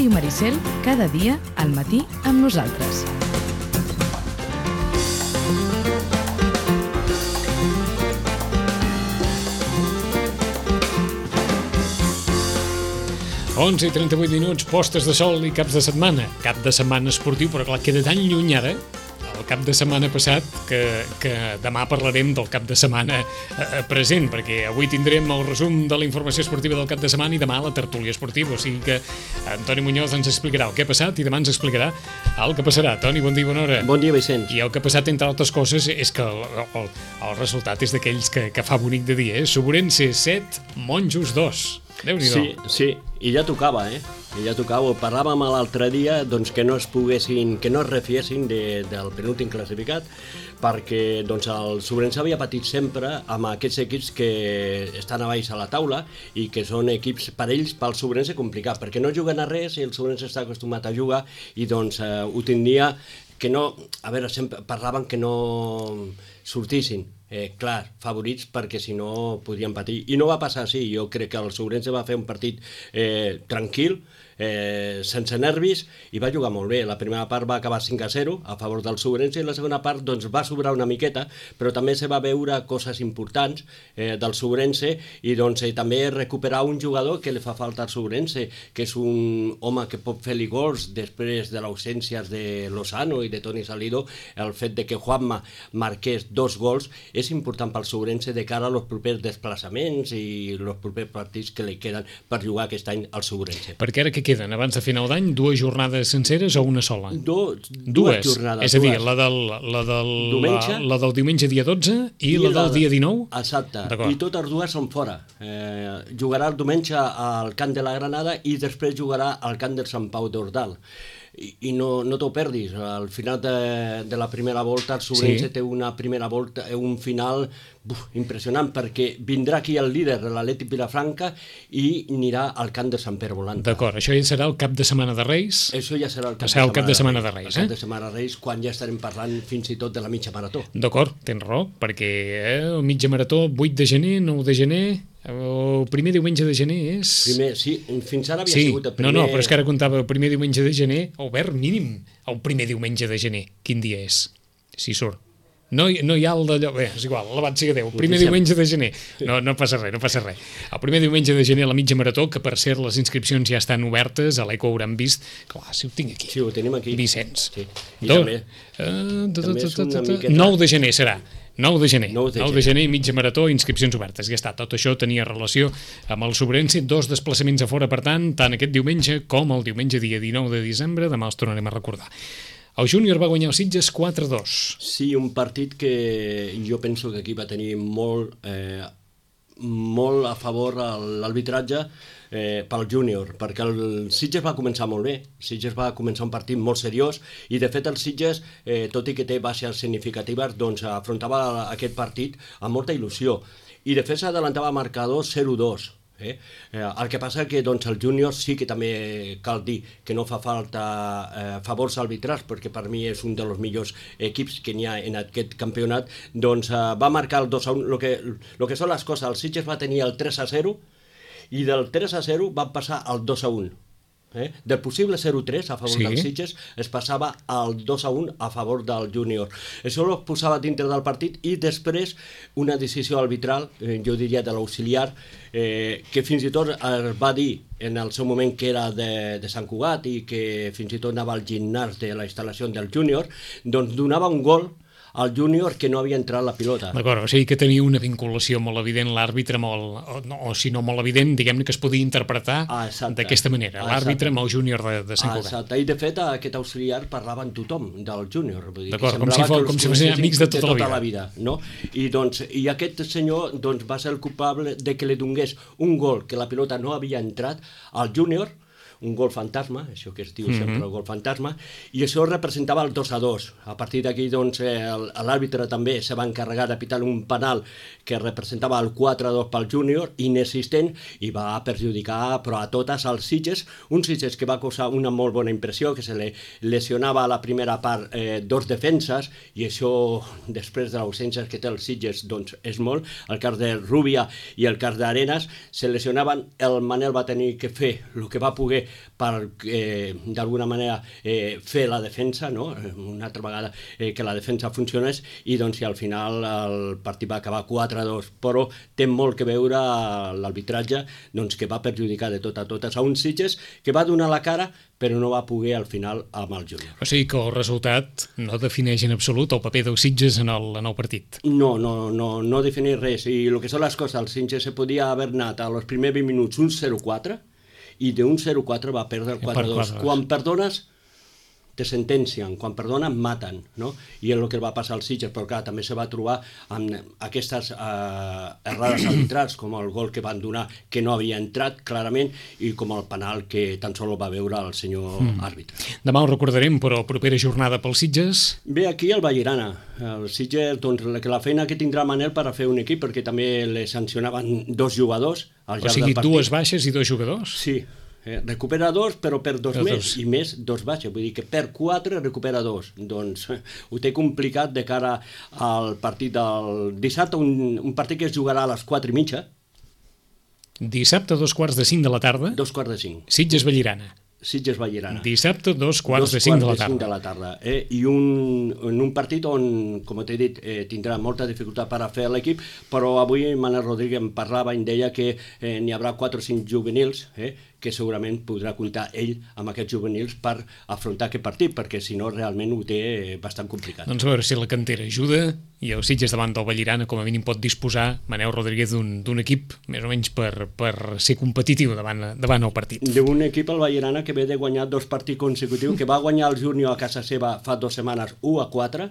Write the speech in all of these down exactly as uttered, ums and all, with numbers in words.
Ràdio Maricel, cada dia al matí amb nosaltres. onze i trenta-vuit minuts, postes de sol i caps de setmana. Cap de setmana esportiu, però clar, queda tan lluny ara, el cap de setmana passat, que, que demà parlarem del cap de setmana eh, present, perquè avui tindrem el resum de la informació esportiva del cap de setmana i demà la tertúlia esportiva. O sigui que Antoni Muñoz ens explicarà el que ha passat i demà ens explicarà el que passarà. Toni, bon dia, bona hora. Bon dia, Vicenç. I el que ha passat, entre altres coses, és que el, el, el resultat és d'aquells que, que fa bonic de dia, eh? Sobrense set, Monjos dos. Déu-n'hi-do. Sí, sí, i ja tocava, eh? I ja tocava. Parlàvem l'altre dia doncs, que no es poguessin, que no es refiessin de, del penúltim classificat, perquè doncs, el Sobrense havia patit sempre amb aquests equips que estan a baix a la taula i que són equips per ells, pel Sobrense, complicat, perquè no juguen a res i el Sobrense està acostumat a jugar i doncs eh, ho tindria que no... A veure, sempre parlaven que no sortissin. Eh, clar, favorits perquè si no podrien patir, i no va passar així. Jo crec que el Sobrense va fer un partit eh, tranquil, eh, sense nervis, i va jugar molt bé. La primera part va acabar cinc a zero a favor del Sobrense i la segona part doncs, va sobrar una miqueta, però també se va veure coses importants eh, del Sobrense i doncs, eh, també recuperar un jugador que li fa falta al Sobrense, que és un home que pot fer-li gols després de l'ausència de Lozano i de Toni Salido. El fet de que Juanma marqués dos gols és important pel Sobrense de cara als propers desplaçaments i els propers partits que li queden per jugar aquest any al Sobrense. Perquè ara què queden? Abans de final d'any, dues jornades senceres o una sola? Do, dues, dues jornades. És a dir, dues. la del, la del, diumenge, la, la del diumenge dia dotze i, i la del la, dia dinou? Exacte, i totes dues són fora. Eh, jugarà el diumenge al camp de la Granada i després jugarà al camp del Sant Pau d'Ordal. I, i no, no t'ho perdis, al final de, de la primera volta el Sobrense sí. té una primera volta, un final buf, impressionant, perquè vindrà aquí el líder, l'Atlètic Vilafranca, i anirà al camp de Sant Pere Volanta. D'acord, això ja serà el cap de setmana de Reis? Això ja serà el cap, serà de, el cap de setmana de Reis. El cap eh? de setmana de Reis, quan ja estarem parlant fins i tot de la mitja marató. D'acord, tens raó, perquè eh, el mitja marató, vuit de gener, nou de gener... El primer diumenge de gener és... Primer, sí, fins ara havia sí. sigut el primer... No, no, però és que ara comptava el primer diumenge de gener, Albert, mínim, el primer diumenge de gener. Quin dia és? Si surt. No, no hi ha el d'allò... Bé, és igual, alabat sigui Déu. El primer diumenge de gener. No, no passa res, no passa res. El primer diumenge de gener a la mitja marató, que per cert les inscripcions ja estan obertes, a l'Eco hauran vist... Clar, si ho tinc aquí. Sí, ho tenim aquí. Vicenç. Sí. I Do... també... Uh, també és una miqueta... nou de gener serà. nou de gener, nou de nou de gener, mitja marató, inscripcions obertes. Ja està, tot això tenia relació amb el Sobrense, dos desplaçaments a fora, per tant, tant aquest diumenge com el diumenge dia dinou de desembre, demà els tornarem a recordar. El júnior va guanyar els Sitges quatre a dos. Sí, un partit que jo penso que aquí va tenir molt, eh, molt a favor l'arbitratge, Eh, pel júnior, perquè el Sitges va començar molt bé. Sitges va començar un partit molt seriós i de fet el Sitges, eh, tot i que té baixes significatives, doncs afrontava aquest partit amb molta il·lusió i de fet s'adelantava marcador zero a dos. Eh? Eh, el que passa que doncs, el júnior sí que també cal dir que no fa falta eh, favors arbitrals, perquè per mi és un dels millors equips que n'hi ha en aquest campionat. Doncs eh, va marcar el dos a un. El que, lo que són les coses, el Sitges va tenir el tres a zero i del tres a zero van passar al dos a un. Eh? Del possible zero a tres a favor sí. dels Sitges es passava al dos a un a favor del júnior. Això ho posava dintre del partit i després una decisió arbitral, eh, jo diria de l'auxiliar, eh, que fins i tot es va dir en el seu moment que era de, de Sant Cugat i que fins i tot anava al gimnàs de la instal·lació del júnior, doncs donava un gol al júnior que no havia entrat la pilota. D'acord, o sigui que tenia una vinculació molt evident l'àrbitre, o, no, o si no molt evident, diguem-ne que es podia interpretar ah, d'aquesta manera, ah, l'àrbitre amb el júnior de, de Sant Cugat. Ah, exacte, i de fet aquest auxiliar parlava amb tothom del júnior. D'acord, com si, fos, com si fossin amics de tota, de tota la, vida. la vida. No? I, doncs, I aquest senyor doncs, va ser el culpable de que li donés un gol que la pilota no havia entrat al júnior, un gol fantasma, això que es diu mm-hmm. sempre el gol fantasma, i això representava el dos a dos. A partir d'aquí, doncs, l'àrbitre també se va encarregar de pitar un penal que representava el quatre a dos pel júnior, inexistent, i va perjudicar, però a totes, els Sitges, un Sitges que va causar una molt bona impressió, que se li lesionava a la primera part eh, dos defenses, i això, després de l'ausència que té els Sitges, doncs, és molt. El cas de Rubia i el cas d'Arenas se lesionaven, el Manel va tenir que fer el que va poder per eh, d'alguna manera eh, fer la defensa, no? Una altra vegada eh, que la defensa funcionés, i doncs i al final el partit va acabar quatre a dos, però té molt que veure l'arbitratge, doncs, que va perjudicar de tot a totes a un Sitges que va donar la cara però no va poder al final amb el júnior. O sigui que el resultat no defineix en absolut el paper dels Sitges en el, en el partit. No, no, no, no defineix res. I el que són les coses, el Sitges se podia haver anat a los primers vint minuts un zero quatre i d'un zero quatre va perdre el quatre a dos. Quan perdones, te sentencien, quan perdonen, maten, no? I és el que va passar al Sitges, però clar, també se va trobar amb aquestes eh, errades arbitrals, com el gol que van donar, que no havia entrat clarament, i com el penal que tan sols va veure el senyor mm. àrbitre. Demà ho recordarem, però propera jornada pels Sitges? Bé, aquí el Vallirana. El Sitges, doncs, que la feina que tindrà Manel per a fer un equip, perquè també le sancionaven dos jugadors al llarg del partit. O sigui, dues baixes i dos jugadors? Sí. Eh, recupera dos, però per dos més, dos. I més dos baixes, vull dir que per quatre recupera dos. Doncs eh, ho té complicat de cara al partit del dissabte, un, un partit que es jugarà a les quatre i mitja. Dissabte, dos quarts de cinc de la tarda. Dos quarts de cinc. Sitges-Vallirana. Sitges-Vallirana. Dissabte, dos quarts dos de cinc de la tarda. De la tarda eh? I un, en un partit on, com t'he dit, eh, tindrà molta dificultat per a fer l'equip, però avui Manel Rodríguez em parlava i em deia que eh, n'hi haurà quatre o cinc juvenils, eh, que segurament podrà comptar ell amb aquests juvenils per afrontar aquest partit, perquè si no realment ho té bastant complicat. Doncs a veure si la cantera ajuda i el Sitges davant del Vallirana com a mínim pot disposar Manel Rodríguez d'un equip més o menys per, per ser competitiu davant, davant el partit. D'un equip, el Vallirana, que ve de guanyar dos partits consecutius, que va guanyar el júnior a casa seva fa dues setmanes u a quatre,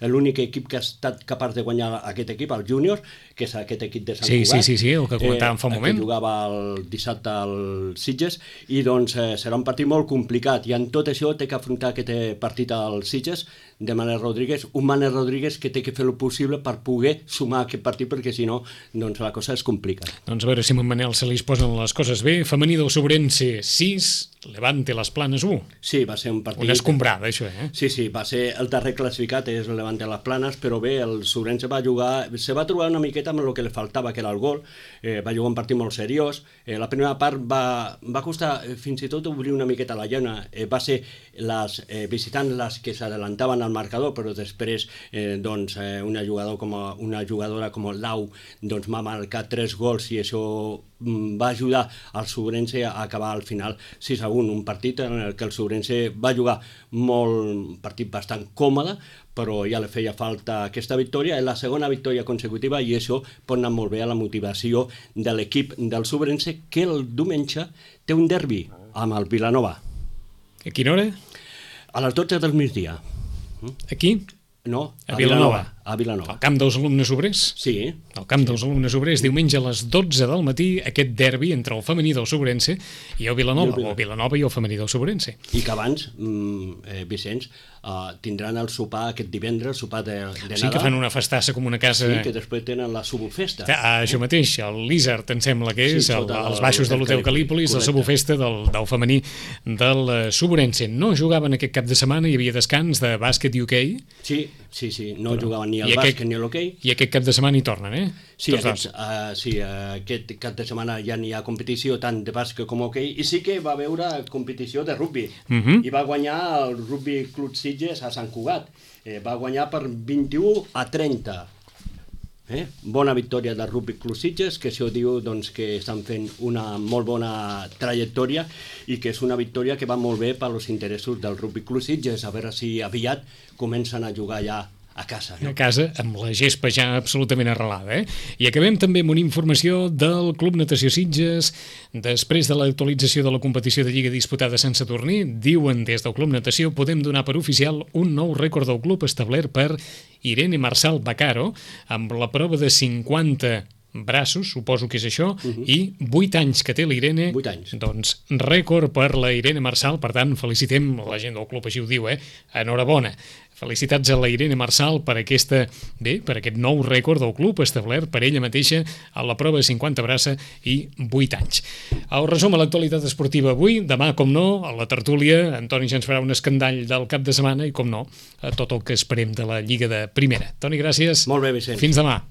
l'únic equip que ha estat capaç de guanyar aquest equip, el júnior, que és aquest equip de Sant sí, Cugat. Sí, sí, sí, el que comentàvem eh, fa un moment. Que jugava el dissabte al Sitges, i doncs eh, serà un partit molt complicat, i en tot això té que afrontar aquest partit al Sitges de Manel Rodríguez, un Manel Rodríguez que té que fer el possible per poder sumar aquest partit, perquè si no, doncs la cosa es complica. Doncs a veure si amb en Manel se li posen les coses bé. Femení del Sobrense sis, Levante les Planes u. Sí, va ser un partit... Una escombrada, això, eh? Sí, sí, va ser el darrer classificat, és el Levante les Planes, però bé, el Sobrense va jugar, se va trobar una miqueta amb el que li faltava, que era el gol, eh, va jugar un partit molt seriós, eh, la primera part va, va costar eh, fins i tot obrir una miqueta la llana, eh, va ser les eh, visitants les que s'adelantaven al marcador, però després eh, doncs, eh, una, jugador com a, una jugadora com Lau doncs, m'ha marcat tres gols i això mm, va ajudar al Sobrense a acabar al final sis a un, un partit en el que el Sobrense va jugar molt, un partit bastant còmode, però ja li feia falta aquesta victòria, és la segona victòria consecutiva i això pot anar molt bé a la motivació de l'equip del Sobrense, que el diumenge té un derbi amb el Vilanova. A quina hora? A les dotze del migdia. Aquí? No, a, a Vilanova. A Vilanova. Al camp dels alumnes obrers? Sí. Al camp dels alumnes obrers, diumenge a les dotze del matí, aquest derbi entre el femení del Sobrense i el Vilanova, I el o Vilanova i el femení del Sobrense. I que abans, mm, eh, Vicenç, uh, tindran el sopar aquest divendres, el sopar de, de Nadal. Sí, que fan una festassa com una casa... Sí, que després tenen la subofesta. Ah, això mateix, el Lizard, em sembla que és, sí, el, els baixos de l'Hotel Calípolis, la subofesta del, del femení del Sobrense. No jugaven aquest cap de setmana, hi havia descans de bàsquet i hoquei. Sí, sí, sí, no però, jugaven ni al aquest, bàsquet ni a l'hoquei. I aquest cap de setmana hi tornen, eh? Sí, aquest, uh, sí uh, aquest cap de setmana ja n'hi ha competició tant de bàsquet com hoquei, i sí que va haver competició de rugby, uh -huh. i va guanyar el Rugby Club Sitges a Sant Cugat, eh, va guanyar per vint-i-u a trenta. Eh? Bona victòria del Rugby Club Sitges, que això diu doncs, que estan fent una molt bona trajectòria i que és una victòria que va molt bé per als interessos del Rugby Club Sitges, a veure si aviat comencen a jugar ja a casa. No? A casa, amb la gespa ja absolutament arrelada. Eh? I acabem també amb una informació del Club Natació Sitges. Després de l'actualització de la competició de Lliga disputada a Sant Sadurní, diuen des del Club Natació, podem donar per oficial un nou rècord del club establert per Irene Marçal Bacaro, amb la prova de cinquanta braços, suposo que és això, uh -huh. i vuit anys que té la Irene. vuit anys. Doncs rècord per la Irene Marçal, per tant, felicitem la gent del club, així ho diu, eh? Enhorabona. Felicitats a la Irene Marçal per aquesta, bé, per aquest nou rècord del club establert per ella mateixa a la prova de cinquanta braça i vuit anys. El resum a l'actualitat esportiva avui, demà, com no, a la tertúlia, Antoni ja ens farà un escandall del cap de setmana i, com no, a tot el que esperem de la Lliga de Primera. Toni, gràcies. Molt bé, Vicent. Fins demà.